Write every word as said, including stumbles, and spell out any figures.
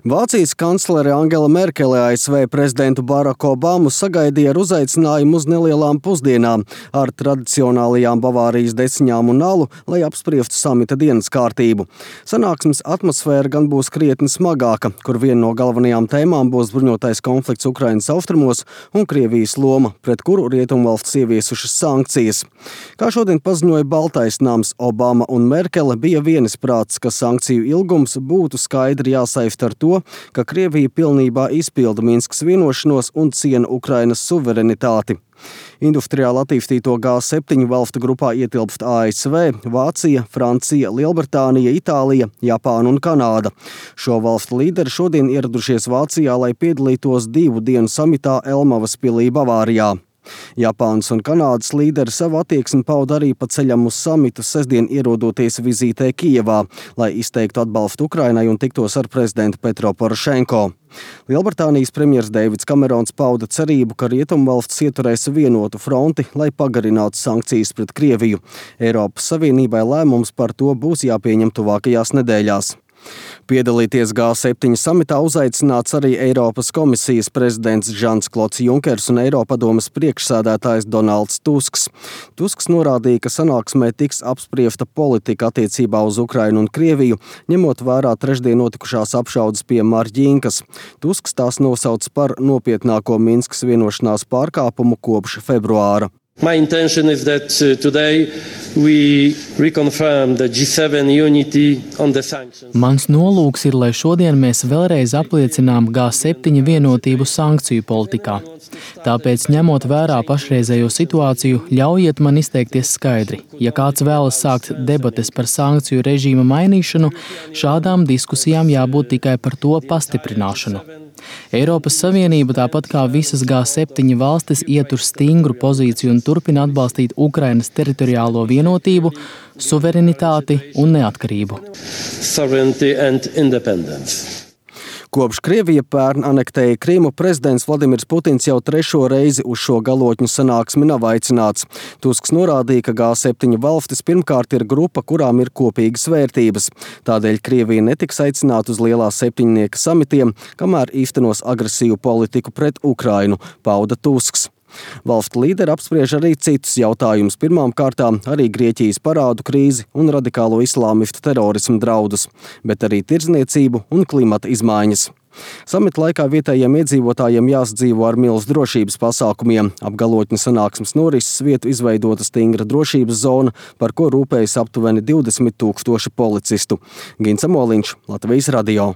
Vācijas kanclere Angela Merkele A S V prezidentu Baraku Obamu sagaidīja ar uzaicinājumu uz nelielām pusdienām ar tradicionālajām Bavārijas desiņām un alu, lai apspriestu samita dienas kārtību. Sanāksmes atmosfēra gan būs krietni smagāka, kur viena no galvenajām tēmām būs bruņotais konflikts Ukrainas austrumos un Krievijas loma, pret kuru rietumvalstis ieviesušas sankcijas. Kā šodien paziņoja Baltais nams, Obama un Merkele bija vienisprātis, ka sankciju ilgums būtu skaidri jāsaista ar to, ka Krievija pilnībā izpilda Minskas vienošanos un ciena Ukrainas suverenitāti. Industriāli attīstīto G septiņu valstu grupā ietilpst A S V, Vācija, Francija, Lielbritānija, Itālija, Japāna un Kanāda. Šo valstu līderi šodien ieradušies Vācijā, lai piedalītos divu dienu samitā Elmavas pilī Bavārijā. Japānas un Kanādas līderi savu attieksmi pauda arī pa ceļam uz samitu sestdien ierodoties vizītē Kijevā, lai izteiktu atbalstu Ukrainai un tiktos ar prezidentu Petro Porošenko. Lielbritānijas premjers Deivids Kamerons pauda cerību, ka rietumvalstis ieturēs vienotu fronti, lai pagarinātu sankcijas pret Krieviju. Eiropas Savienībai lēmums par to būs jāpieņem tuvākajās nedēļās. Piedalīties G septiņu samitā uzaicināts arī Eiropas komisijas prezidents Žans-Klods Junkers un Eiropadomes priekšsēdētājs Donalds Tusks. Tusks norādīja, ka sanāksmē tiks apspriesta politika attiecībā uz Ukrainu un Krieviju, ņemot vērā trešdien notikušās apšaudes pie Marģīnkas. Tusks tās nosauc par nopietnāko Minskas vienošanās pārkāpumu kopš februāra. My intention is that uh, today we reconfirm the G seven unity on the sanctions. Mans nolūks ir, lai šodien mēs vēlreiz apliecinām G septiņu vienotību sankciju politikā. Tāpēc, ņemot vērā pašreizējo situāciju, ļaujiet man izteikties skaidri. Ja kāds vēlas sākt debates par sankciju režīma mainīšanu, šādām diskusijām jābūt tikai par to pastiprināšanu. Eiropas Savienība, tāpat kā visas G septiņu valstis, ietur stingru pozīciju un turpina atbalstīt Ukrainas teritoriālo vienotību, suverenitāti un neatkarību. Kopš Krievija pērn anektēja Krimu, prezidents Vladimirs Putins jau trešo reizi uz šo galotņu sanāksmi nav aicināts. Tusks norādīja, ka G septiņu valstis pirmkārt ir grupa, kurām ir kopīgas vērtības. Tādēļ Krievija netiks aicināta uz lielā septiņnieka samitiem, kamēr īstenos agresīvu politiku pret Ukrainu, pauda Tusks. Valstu līderi apspriež arī citus jautājumus, pirmām kārtām arī Grieķijas parādu krīzi un radikālo islāmistu terorismu draudus, bet arī tirdzniecību un klimata izmaiņas. Samita laikā vietējiem iedzīvotājiem jāsadzīvo ar milzu drošības pasākumiem. Ap galotņu sanāksmes norises vietu izveidota stingra drošības zona, par ko rūpējas aptuveni divdesmit tūkstoši policistu. Gins Amoliņš, Latvijas radio.